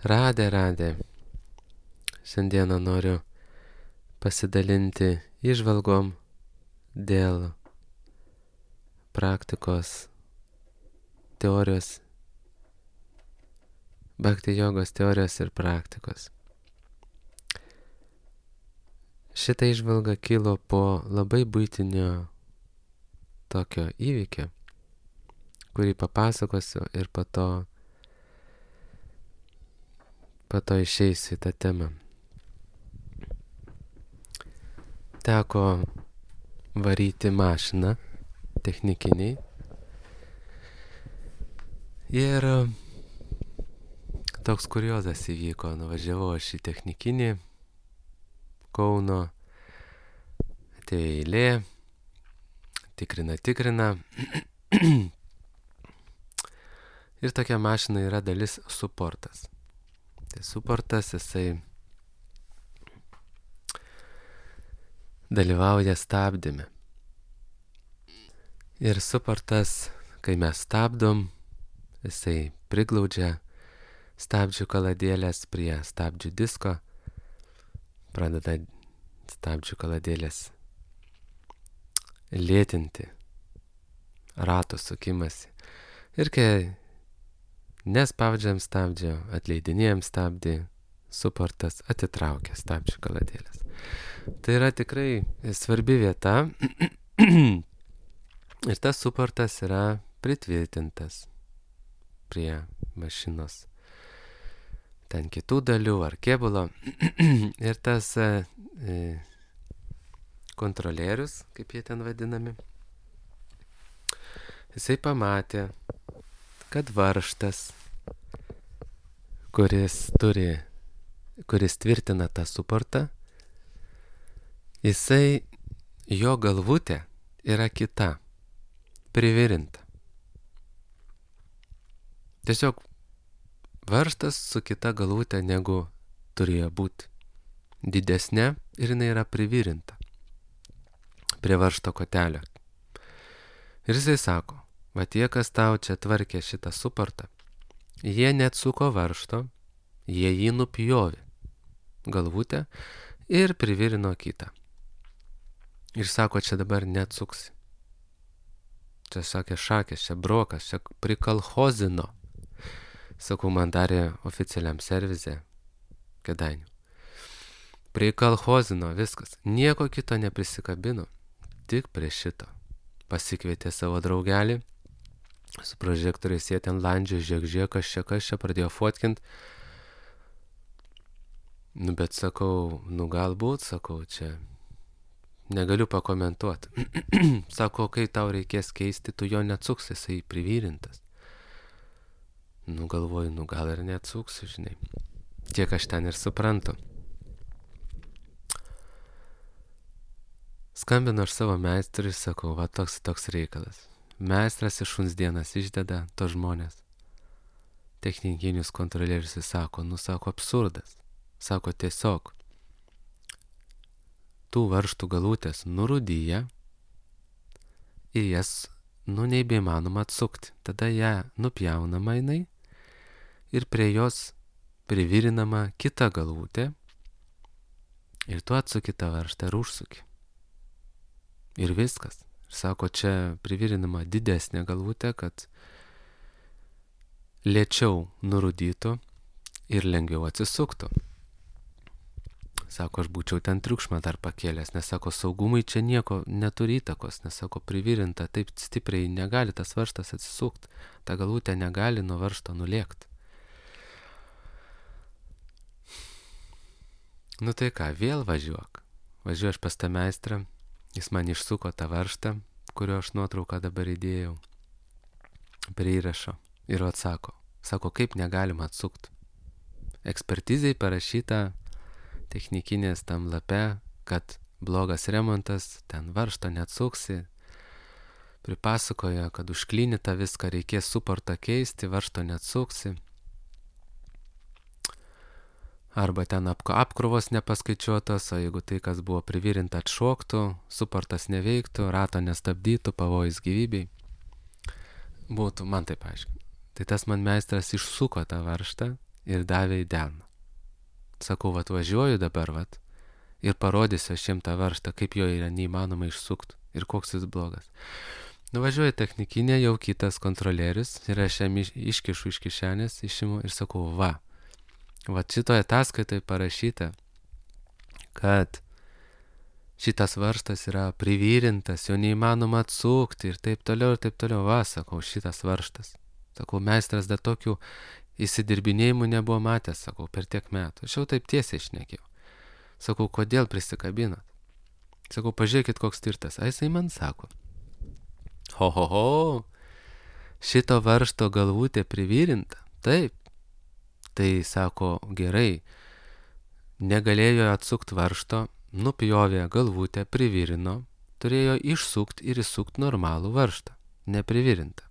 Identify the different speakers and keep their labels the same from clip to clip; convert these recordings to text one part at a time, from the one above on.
Speaker 1: Radė. Šiandieną noriu pasidalinti įžvalgom dėl praktikos teorijos, bhakti jogos teorijos ir praktikos. Šitą įžvalgą kilo po labai buitinio tokio įvykio, kurį papasakosiu ir po to išeisiu į tą temą. Teko varyti mašiną technikiniai ir toks kuriozas įvyko. Nuvažiavau aš į technikinį Kauno, atėjo eilė, tikrina. Ir tokia mašina yra dalis suportas. Tai suportas, jisai dalyvauja stabdyme. Ir suportas, kai mes stabdom, jisai priglaudžia stabdžių kaladėlės prie stabdžių disko, pradeda stabdžių kaladėlės lėtinti rato sukimasi. Ir kai nespaudžiam stabdžio, atleidinėjam stabdį, suportas atitraukia stabdžių kaladėlės. Tai yra tikrai svarbi vieta ir tas suportas yra pritvirtintas prie mašinos ten kitų dalių ar kėbulo. Ir tas kontrolierius, kaip jie ten vadinami, jisai pamatė, kad varžtas, kuris tvirtina tą suportą, jo galvutė yra kita, privirinta. Tiesiog varžtas su kita galvutė negu turėjo būti. Didesnė ir jinai yra privirinta prie varžto kotelio. Ir jisai sako, va tie, kas tau čia tvarkė šitą suportą, jie neatsuko varžto, jie jį nupjovė galvutę ir privirino kitą. Ir sako, čia dabar neatsuksi. Čia sakė šakės, čia brokas, čia prikalhozino. Sakau, man darė oficialiam servize Kėdainių. Prikalhozino viskas. Nieko kito neprisikabino. Tik prie šito. Pasikvietė savo draugelį. Su prožektoriais jie ten landžio, žiūrėk, kas čia pradėjo fotkint. Bet sakau, galbūt, sakau, čia negaliu pakomentuoti. Sako, kai tau reikės keisti, tu jo neatsuksi, jisai privirintas. Galvoju, gal ir neatsuksiu, žinai. Tiek aš ten ir suprantu. Skambinu aš savo meistrui, sakau, va toks reikalas. Meistras iš šuns dienas išdeda to žmonės. Technikinius kontrolierius sako, sako, absurdas. Sako, tiesiog tų varžtų galutės nurūdyja ir jas, nebeįmanoma atsukti. Tada ją nupjaunama jinai ir prie jos privirinama kita galvutė ir tu atsuki tą varžtą ir užsuki. Ir viskas. Sako, čia privirinama didesnė galvutė, kad lėčiau nurūdytų ir lengviau atsisuktų. Sako, aš būčiau ten triukšmą dar pakėlęs, nes sako, saugumui čia nieko neturi įtakos, nes sako, privirinta taip stipriai negali tas varžtas atsisukti, ta galvutė negali nuo varžto nulėkti. Tai ką, vėl važiuok. Važiuoju aš pas tą meistrą, jis man išsuko tą varžtą, kurio aš nuotrauką dabar įdėjau prie įrašo ir atsako, kaip negalima atsukti. Ekspertizei parašyta technikinės tam lape, kad blogas remontas, ten varžto neatsuksi. Pripasakoja, kad užklinyta viską, reikės suportą keisti, varžto neatsuksi. Arba ten apkrovos nepaskaičiuotos, o jeigu tai, kas buvo privirinta, atšoktų, suportas neveiktų, rato nestabdytų, pavojus gyvybei. Būtų, man taip aiškiai. Tai tas man meistras išsuko tą varžtą ir davė į delną. Sakau, vat važiuoju dabar, vat, ir parodysiu aš jiem tą varžtą, kaip jo yra neįmanoma išsukti ir koks jis blogas. Nuvažiuoju technikinė, jau kitas kontrolierius ir aš jam iškišu iš kišenės, išimu ir sakau, va šitoje ataskaitoje parašyta, kad šitas varžtas yra privyrintas, jo neįmanoma atsukti ir taip toliau, va, sakau, šitas varžtas. Sakau, meistras dar tokių įsidirbinėjimų nebuvo matęs, sakau, per tiek metų. Aš jau taip tiesiai šnekėjau. Sakau, kodėl prisikabinat? Sakau, pažiūrėkit, koks tirtas. A jisai man sako, ho, šito varžto galvutė privyrinta? Taip. Tai sako, gerai, negalėjo atsukti varžto, nupjovė galvutę, privirino, turėjo išsukti ir įsukti normalų varžtą, neprivirintą.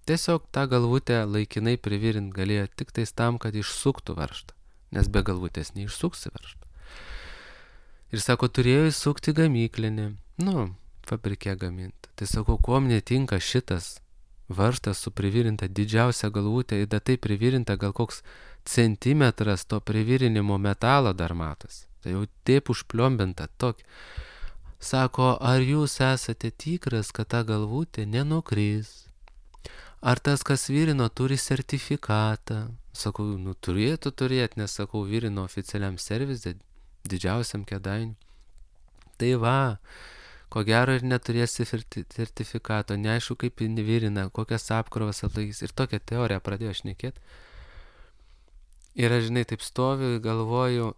Speaker 1: Tiesiog tą galvutę laikinai privirint galėjo tik tais tam, kad išsuktų varžtą, nes be galvutės neišsuksi varžtą. Ir sako, turėjo įsukti gamyklinį, fabrike gaminta. Tai sako, kuom netinka šitas varžtas su privirinta didžiausia galvutė, ir tai privirinta gal koks centimetras to privirinimo metalo dar matas. Tai jau taip užpliombinta tokį. Sako, ar jūs esate tikras, kad ta galvutė nenukris? Ar tas, kas virino, turi sertifikatą? Sakau, turėtų turėti, nes, sakau, virino oficialiam servise, didžiausiam Kėdainių. Tai va, ko gero ir neturėsi sertifikato, neaišku, kaip virina, kokias apkrovas atlaikys. Ir tokią teoriją pradėjo šnekėti. Ir aš, žinai, taip stoviu, galvoju,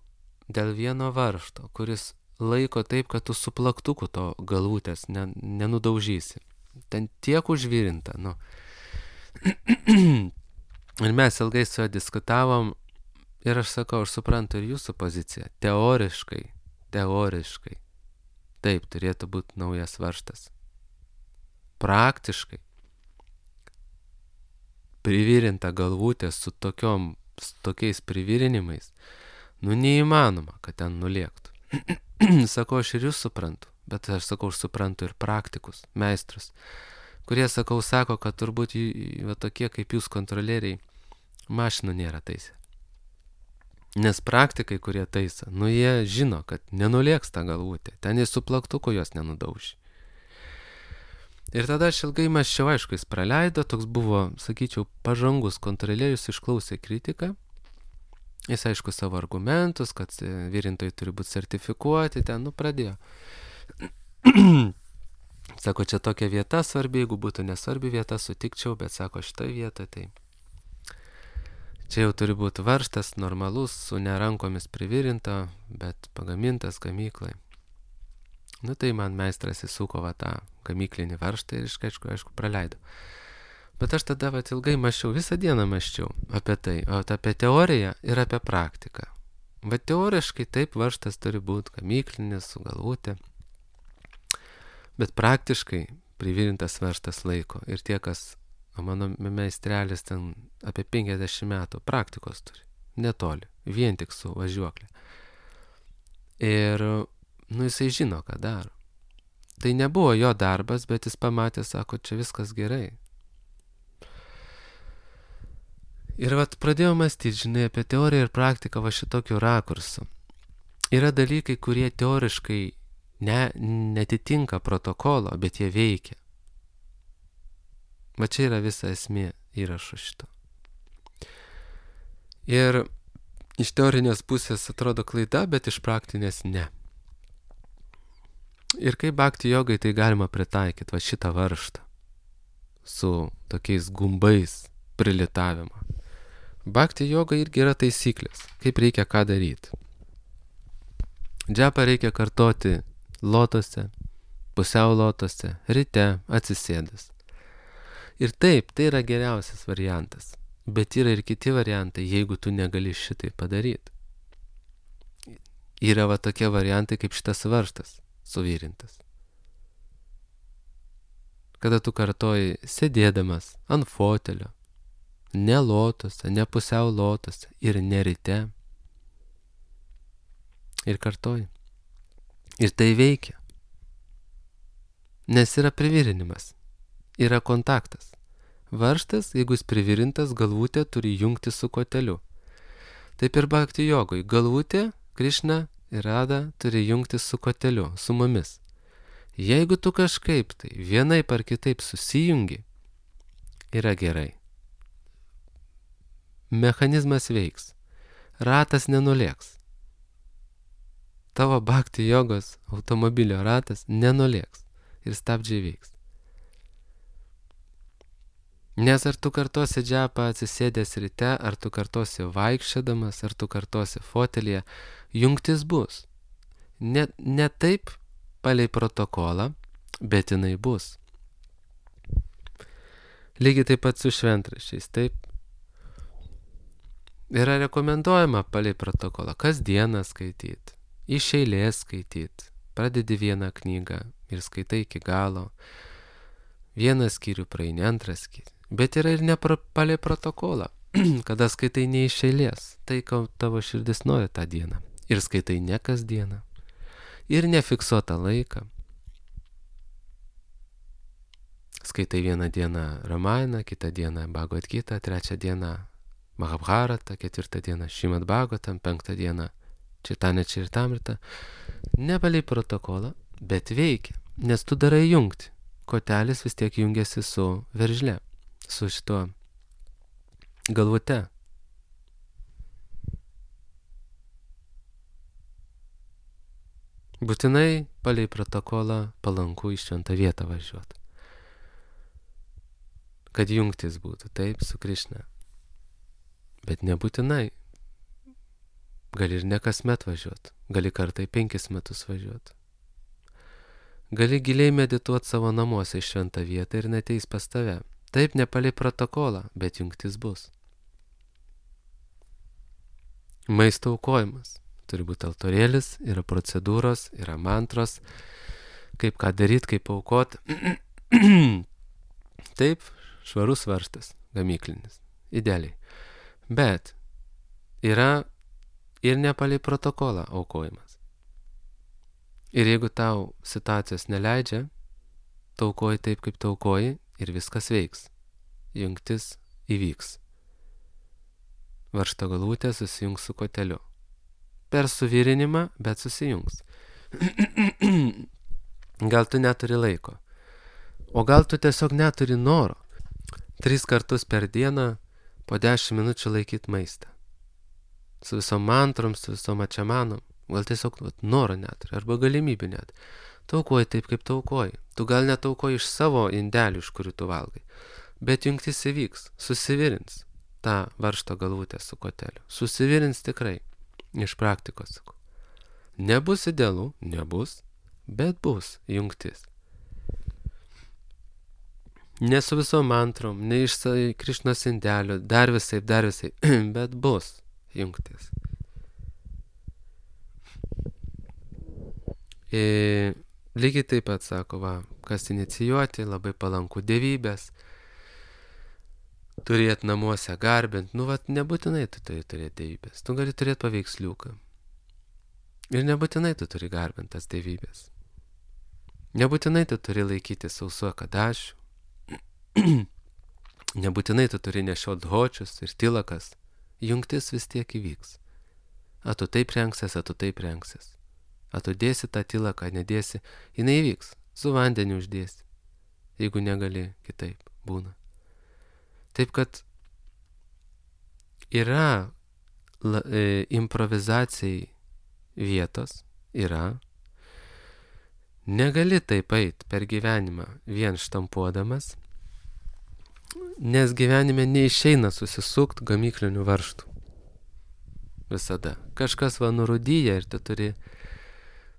Speaker 1: dėl vieno varžto, kuris laiko taip, kad tu su plaktuku to galvutės nenudaužysi. Ten tiek užvirinta, Ir mes ilgai su juo diskutavom ir aš sakau, aš suprantu ir jūsų poziciją. Teoriškai, taip turėtų būti naujas varžtas. Praktiškai privirinta galvutė su tokiais privirinimais, neįmanoma, kad ten nulėktų. Sakau, aš ir jūs suprantu, bet aš sakau, aš suprantu ir praktikus, meistrus, kurie, sakau, sako, kad turbūt tokie kaip jūs kontrolieriai mašinų nėra taisę. Nes praktikai, kurie taisa, jie žino, kad nenulėks tą galvutę, ten jis su plaktuku jos nenudaužė. Ir tada aš ilgai mąsčiau, aišku, jis praleido, toks buvo, sakyčiau, pažangus kontrolierius, išklausė kritiką. Jis, aišku, savo argumentus, kad virintojai turi būti sertifikuoti, ten, pradėjo. Sako, čia tokia vieta svarbi, jeigu būtų nesvarbi vieta, sutikčiau, bet sako, šitą vietą, tai čia jau turi būti varžtas, normalus, su nerankomis privirinta, bet pagamintas gamyklai. Tai man meistras įsuko tą gamyklinį varžtą ir aišku, praleido. Bet aš tada ilgai mąsčiau, visą dieną mąsčiau apie tai, apie teoriją ir apie praktiką. Teoriškai taip varžtas turi būti gamyklinis su galvutė, bet praktiškai privirintas varžtas laiko. Ir tie, kas, mano meistrelis ten apie 50 metų praktikos turi, netoli, vien tik su važiuoklė. Ir, jisai žino, ką daro. Tai nebuvo jo darbas, bet jis pamatė, sako, čia viskas gerai. Ir pradėjau mąstyti, žinai, apie teoriją ir praktiką šitokiu rakursu. Yra dalykai, kurie teoriškai netitinka protokolo, bet jie veikia. Čia yra visa esmė įrašo šito. Ir iš teorinės pusės atrodo klaida, bet iš praktinės ne. Ir kaip bhakti jogai tai galima pritaikyti, šitą varžtą su tokiais gumbais prilitavimo. Bhakti joga irgi yra taisyklės, kaip reikia ką daryti. Džapą reikia kartoti lotose, pusiau lotose, ryte atsisėdęs. Ir taip, tai yra geriausias variantas, bet yra ir kiti variantai, jeigu tu negali šitai padaryti. Yra tokie variantai, kaip šitas varžtas suvirintas. Kada tu kartoji sėdėdamas ant fotelio, ne lotose, ne pusiau lotose ir ne ryte. Ir kartoji. Ir tai veikia. Nes yra privirinimas. Yra kontaktas. Varžtas, jeigu jis privirintas, galvutė turi jungti su koteliu. Taip ir bhakti jogoj. Galvutė, Krišna ir Rada turi jungtis su koteliu, su mumis. Jeigu tu kažkaip tai vienaip ar kitaip susijungi, yra gerai. Mechanizmas veiks. Ratas nenulėks. Tavo bhakti jogos automobilio ratas nenulėks ir stabdžiai veiks. Nes ar tu kartosi džepą atsisėdęs ryte, ar tu kartosi vaikščiodamas, ar tu kartosi fotelėje, jungtis bus. Ne taip palei protokolą, bet jinai bus. Lygiai taip pat su šventraščiais, taip. Yra rekomenduojama palei protokolą kasdieną skaityti, iš eilės skaityti. Pradedi vieną knygą ir skaitai iki galo. Vieną skyrių praeini, antrą skyrių. Bet yra ir ne palei protokolą, kada skaitai ne iš eilės, tai ką tavo širdis nori tą dieną. Ir skaitai ne kasdieną. Ir nefiksuotą laiką. Skaitai vieną dieną Ramainą, kitą dieną Bhagavad Gitą, trečią dieną Mahabharatą, ketvirtą dieną Šrimad Bhagavatam, penktą dieną Chaitanya Charitamrita. Ne palei protokolą, bet veikia, nes tu darai jungti. Kotelis vis tiek jungiasi su veržle, su šituo galvute. Būtinai palei protokolą palanku į šventą vietą važiuoti. Kad jungtis būtų, taip, su Krišna. Bet nebūtinai. Gali ir ne kasmet važiuoti. Gali kartą į 5 metus važiuoti. Gali giliai medituoti savo namuose į šventą vietą ir neteis pas tave. Taip, ne palei protokolą, bet jungtis bus. Maisto aukojimas. Turi būti altorėlis, yra procedūros, yra mantros, kaip ką daryti, kaip aukoti. Taip, švarus varžtas, gamyklinis, idealiai. Bet yra ir ne palei protokolą aukojimas. Ir jeigu tau situacijos neleidžia, taukoji taip, kaip taukoji ir viskas veiks. Jungtis įvyks. Varžto galvutė susijungs su koteliu. Per suvirinimą, bet susijungs. Gal tu neturi laiko. O gal tu tiesiog neturi noro. 3 kartus per dieną po 10 minučių laikyti maistą. Su visom mantrom, su visom ačiamanom. Gal tiesiog noro neturi, arba galimybių net. Taukoji taip, kaip taukoji. Tu gal netaukoji iš savo indelių, iš kurių tu valgai. Bet jungtis įvyks, susivirins tą varžto galvutę su koteliu. Susivirins tikrai. Iš praktikos sakau. Nebus idealu, nebus, bet bus jungtis. Ne su visom mantrom, ne iš Krišnos indelio, dar visai, bet bus jungtis. Lygiai taip pat sako, kas inicijuoti, labai palanku dievybės, turėti namuose garbint, nebūtinai tu turi turėti dievybės, tu gali turėti paveiksliuką. Ir nebūtinai tu turi garbint tas dievybės. Nebūtinai tu turi laikyti sausuo kadašių. Nebūtinai tu turi nešiot hočius ir tilakas. Jungtis vis tiek įvyks. A tu taip rengsies, a tu taip rengsies. A tu dėsi tą tilaką, nedėsi, jinai įvyks. Su vandeniu uždėsi. Jeigu negali, kitaip būna. Taip kad yra improvizacijai vietos, yra. Negali taip eit per gyvenimą vien štampuodamas, nes gyvenime neišeina susisukt gamyklinių varžtų. Visada. Kažkas nurudyja ir tu turi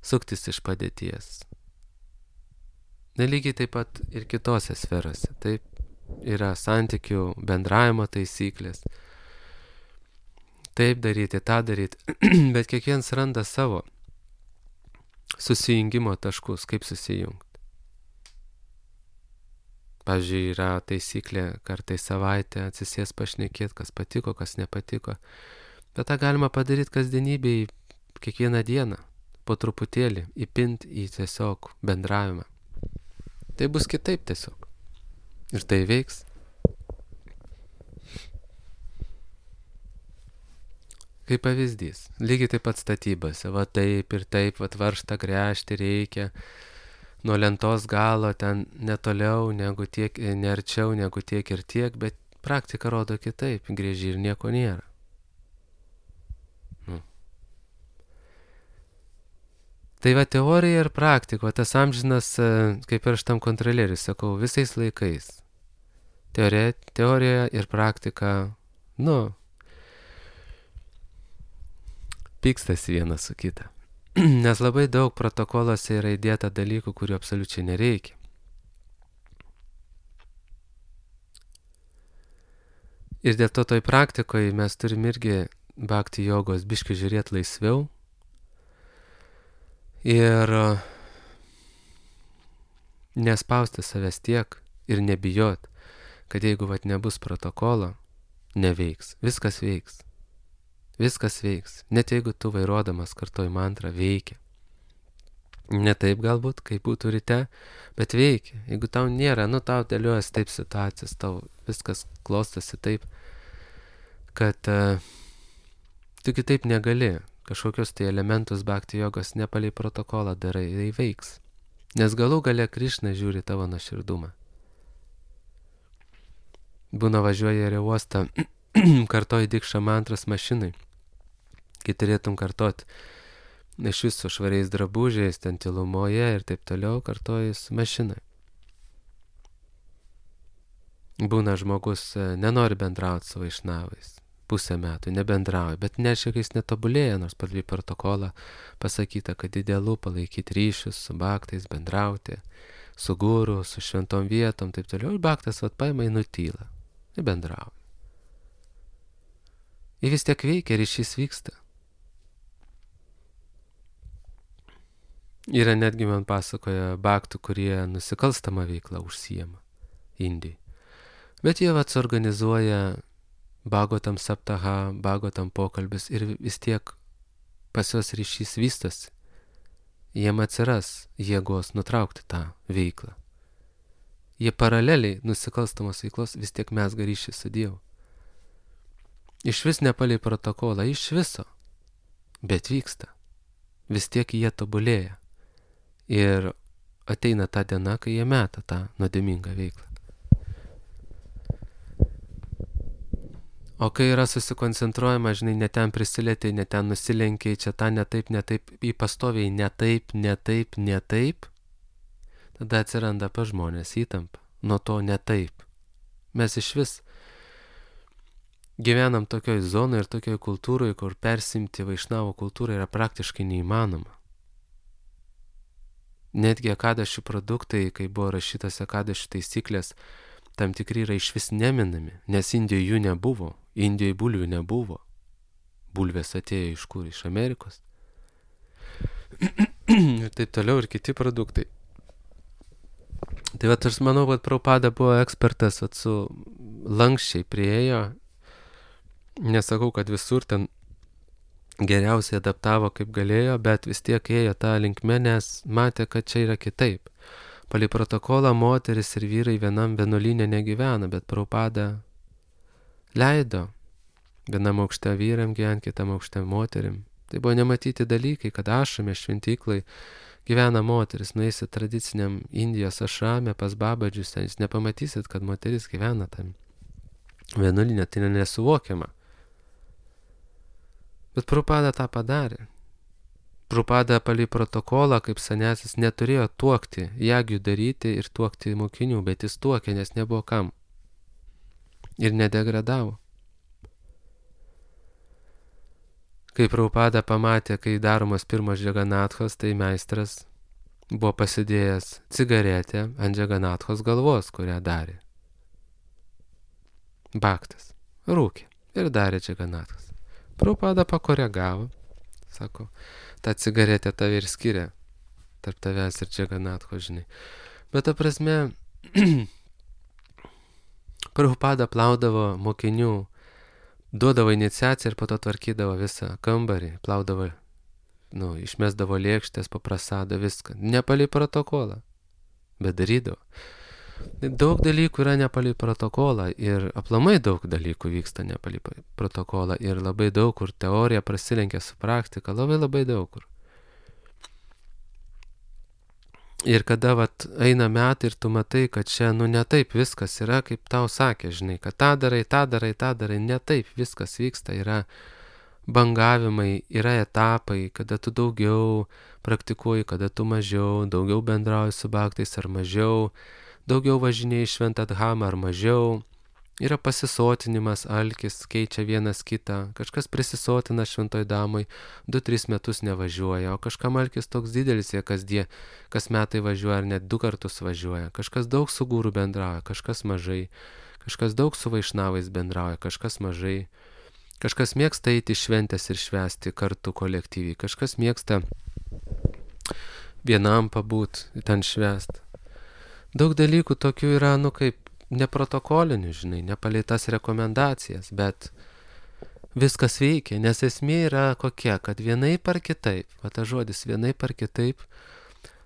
Speaker 1: suktis iš padėties. Nelygiai taip pat ir kitose sferose. Taip, yra santykių bendravimo taisyklės. Taip daryti, tą daryti. Bet kiekvienas randa savo susijungimo taškus, kaip susijungti. Pavyzdžiui, yra taisyklė kartais savaitę atsisės pašnekėti, kas patiko, kas nepatiko. Bet tą galima padaryti kasdienybėj kiekvieną dieną, po truputėlį, įpinti į tiesiog bendravimą. Tai bus kitaip tiesiog. Ir tai veiks. Kaip pavyzdys. Lygiai taip pat statybose. Va taip ir taip, va varžtą gręžti reikia. Nuo lentos galo ten netoliau negu tiek, nearčiau negu tiek ir tiek, bet praktika rodo kitaip. Grėži ir nieko nėra. Tai va teorija ir praktika, tas amžinas, kaip ir aš tam kontrolieriui sakau, visais laikais. Teorija ir praktika, pykstasi vienas su kita. Nes labai daug protokoluose yra įdėta dalykų, kurių absoliučiai nereikia. Ir dėl to toj praktikoje mes turim irgi bhakti jogos biškį žiūrėti laisviau. Ir nespausti savęs tiek ir nebijot, kad jeigu nebus protokolo, neveiks. Viskas veiks. Viskas veiks. Net jeigu tu vairuodamas kartuoji mantrą, veikia. Ne taip galbūt, kaip būtų ryte, bet veikia. Jeigu tau nėra, tau dėliuojas taip situacijas, tau viskas klostosi taip, kad tu kitaip negali. Kažkokius tai elementus bhakti jogos nepalei protokolą darai, tai veiks. Nes galų gale Krišna žiūri tavo nuoširdumą. Būna važiuoja į uostą, kartoji dikšą mantras mašinai. Kai turėtum kartot iš viso švariais drabužiais, ten tylumoje ir taip toliau, kartoji su mašinai. Būna žmogus nenori bendrauti su vaišnavais. Pusę metų nebendrauja, bet nereiškia, kad jis netobulėja, nors pagal protokolą pasakyta, kad idealu palaikyti ryšius su bhaktais, bendrauti, su guru, su šventom vietom, taip toliau. Ir bhaktas paima į nutylą, nebendrauja. Ir vis tiek veikia, ryšys vyksta. Yra netgi man pasakoja bhaktų, kurie nusikalstamą veiklą užsijama Indijai. Bet jie suorganizuoja Bhagavatam saptaha, Bhagavatam pokalbis ir vis tiek pas juos ryšys vystosi. Jiem atsiras jėgos nutraukti tą veiklą. Jie paraleliai nusikalstamos veiklos vis tiek mezga ryšį su Dievu. Iš vis nepalei protokolą, iš viso. Bet vyksta. Vis tiek jie tobulėja. Ir ateina ta diena, kai jie meta tą nuodėmingą veiklą. O kai yra susikoncentruojama, žinai, ne ten prisilietė, ne ten nusilenkiai, čia tą ne taip, į pastoviai ne taip, tada atsiranda pa žmonės įtampa. Nuo to ne taip. Mes iš vis gyvenam tokioj zonoje ir tokioj kultūroje, kur persimti vaišnavo kultūrą yra praktiškai neįmanoma. Netgi akadašių produktai, kai buvo rašytas akadašių taisyklės, tam tikri yra iš vis neminami, nes Indijoje jų nebuvo. Indijoje bulvių nebuvo. Bulvės atėjo iš kur? Iš Amerikos. Ir taip toliau ir kiti produktai. Tai aš manau, kad Prabhupada buvo ekspertas, su lankščiai prieėjo. Nesakau, kad visur ten geriausiai adaptavo kaip galėjo, bet vis tiek ėjo tą linkme, nes matė, kad čia yra kitaip. Palei protokolą moteris ir vyrai vienam vienuolyne negyvena, bet Prabhupada leido vienam aukšte vyram gyventi, kitam aukšte moterim. Tai buvo nematyti dalykai, kad ašrame šventyklai gyvena moteris. Nueisit tradiciniam Indijos ašrame pas babadžius, jūs nepamatysit, kad moteris gyvena tam vienuolyne, tai nesuvokiama. Bet Prabhupada tą padarė. Prabhupada palei protokolą, kaip senesis, neturėjo tuokti, jagių daryti ir tuokti mokinių, bet jis tuokė, nes nebuvo kam. Ir nedegradavo. Kai Prabhupada pamatė, kai daromas pirmas Džaganathos, tai meistras buvo pasidėjęs cigaretę ant Džaganathos galvos, kurią darė. Bhaktas rūkė ir darė Džaganathos. Prabhupada pakoregavo, sako, ta cigaretė tave ir skiria tarp tavęs ir Džaganathos, žinai. Bet ta prasme, Prabhupada plaudavo mokinių, duodavo iniciaciją ir po to tvarkydavo visą kambarį, plaudavo, išmesdavo lėkštės, paprasado viską. Nepalei protokolą, bet darydavo. Daug dalykų yra nepalei protokolą ir aplamai daug dalykų vyksta nepalei protokolą ir labai daug kur teorija prasilenkia su praktika, labai daug kur. Ir kada eina metai ir tu matai, kad čia, ne taip viskas yra, kaip tau sakė, žinai, kad tą darai, ne taip viskas vyksta, yra bangavimai, yra etapai, kada tu daugiau praktikuoji, kada tu mažiau, daugiau bendrauji su bhaktais ar mažiau, daugiau važinėjai šventą dhamą ar mažiau, yra pasisotinimas, alkis, keičia vienas kitą, kažkas prisisotina šventoj dhamai, 2-3 metus nevažiuoja, o kažkam alkis toks didelis, jie kas metai važiuoja ar net 2 kartus važiuoja, kažkas daug su guru bendrauja, kažkas mažai, kažkas daug su vaišnavais bendrauja, kažkas mažai, kažkas mėgsta eiti šventės ir švęsti kartu kolektyviai, kažkas mėgsta vienam pabūt, ten švęst. Daug dalykų tokių yra, kaip neprotokolinių, žinai, nepalei tas rekomendacijas, bet viskas veikia, nes esmė yra kokia, kad vienaip ar kitaip, tas žodis vienaip ar kitaip,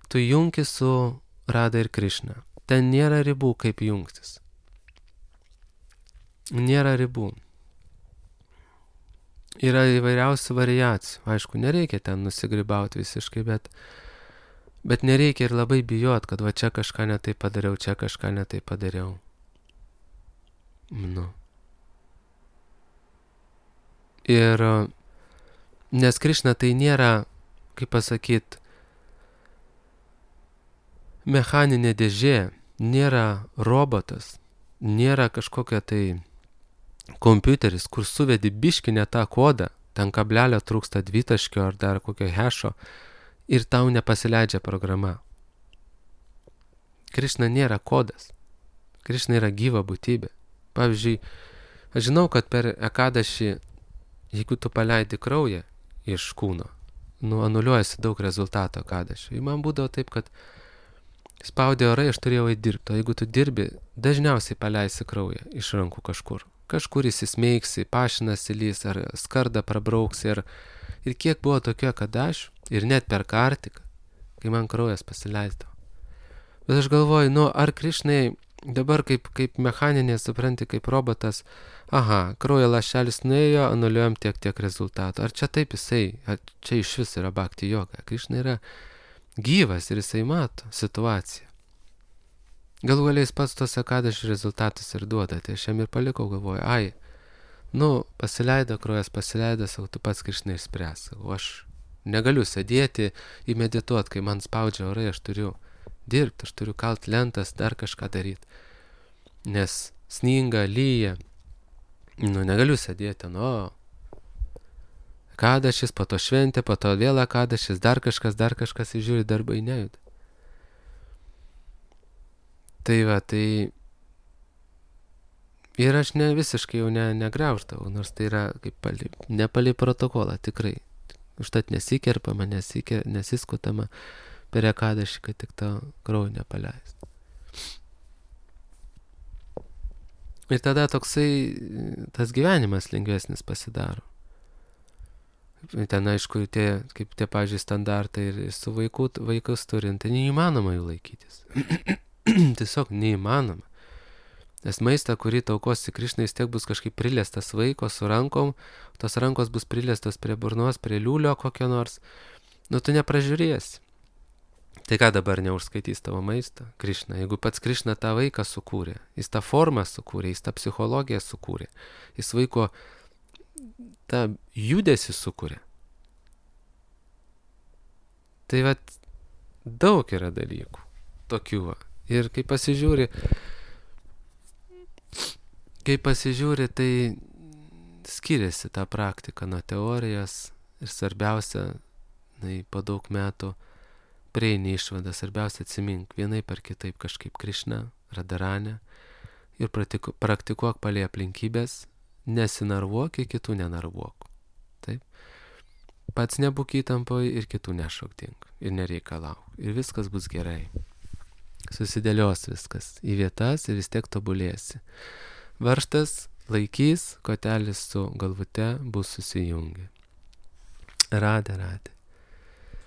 Speaker 1: tu jungi su Radha ir Krišna. Ten nėra ribų, kaip jungtis. Nėra ribų. Yra įvairiausių variacijų. Aišku, nereikia ten nusigribauti visiškai, bet nereikia ir labai bijot, kad va čia kažką netai padariau, čia kažką netai padariau. Ir nes Krišna tai nėra, kaip pasakyt, mechaninė dėžė, nėra robotas, nėra kažkokia tai kompiuteris, kur suvedi biškinę tą kodą, ten kablelio trūksta dvitaškio ar dar kokio hešo ir tau nepasileidžia programa. Krišna nėra kodas. Krišna yra gyva būtybė. Pavyzdžiui, aš žinau, kad per ekadašį, jeigu tu paleidi kraują iš kūno, anuliuojasi daug rezultato ekadašio. Ir man būdavo taip, kad spaudė orai, aš turėjau įdirbti. O jeigu tu dirbi, dažniausiai paleisi kraują iš rankų kažkur. Kažkur įsismeigsi, pašinas įlys, ar skardą prabrauksi. Ir kiek buvo tokia ekadašių, ir net per kartiką, kai man kraujas pasileisdavo. Bet aš galvoju, ar Krišnai dabar kaip mechaninė, supranti, kaip robotas, kraujo lašelis nuėjo, anuliuojam tiek rezultatų. Ar čia taip jisai, ar čia iš vis yra bhakti joga? Krišna yra gyvas ir jisai mato situaciją. Galų galiais pats tos ekadašių rezultatus ir duoda, tai aš jam ir palikau, galvoju, pasileido kraujas, savo tu pats Krišnai išspręs. O aš negaliu sėdėti į medituot, kai man spaudžia orai, aš turiu dirbti, aš turiu kalt lentas, dar kažką daryti. Nes sninga, lyja, negaliu sėdėti, ekadašis, po to šventė, po to vėl ekadašis, dar kažkas įžiūri, darbai nejuda. Tai ir aš visiškai jau negriauždavau, nors tai yra kaip nepalei protokolą, tikrai. Užtat nesikerpama, nesiskutama per ekadašį, kad tik tą kraują nepaleist. Ir tada toksai tas gyvenimas lengvesnis pasidaro. Ten aišku, kaip tie, pavyzdžiui, standartai ir su vaikus turint, tai neįmanoma jų laikytis. Tiesiog neįmanoma. Nes maistą, kurį taukosi Krišnai, vis tiek bus kažkaip priliestas vaiko su rankom, tos rankos bus priliestos prie burnos, prie liūlio kokio nors, tu nepražiūrėsi. Tai ką dabar neužskaitys tavo maistą? Krišna. Jeigu pats Krišna tą vaiką sukūrė, jis tą formą sukūrė, jis tą psichologiją sukūrė, jis vaiko tą judesį sukūrė. Tai daug yra dalykų tokių. Ir kai pasižiūri, tai skiriasi ta praktika nuo teorijos ir svarbiausia, po daug metų prieini išvadą, svarbiausia atsimink vienaip ar kitaip kažkaip Krišna, Radharani ir praktikuok palei aplinkybės, nesinarvuok, kitų nenarvuok. Taip? Pats nebūk įtampoj ir kitų nešokdink ir nereikalauk. Ir viskas bus gerai. Susidėlios viskas į vietas ir vis tiek tobulėsi. Varžtas laikys, kotelis su galvute bus susijungę. Radhe.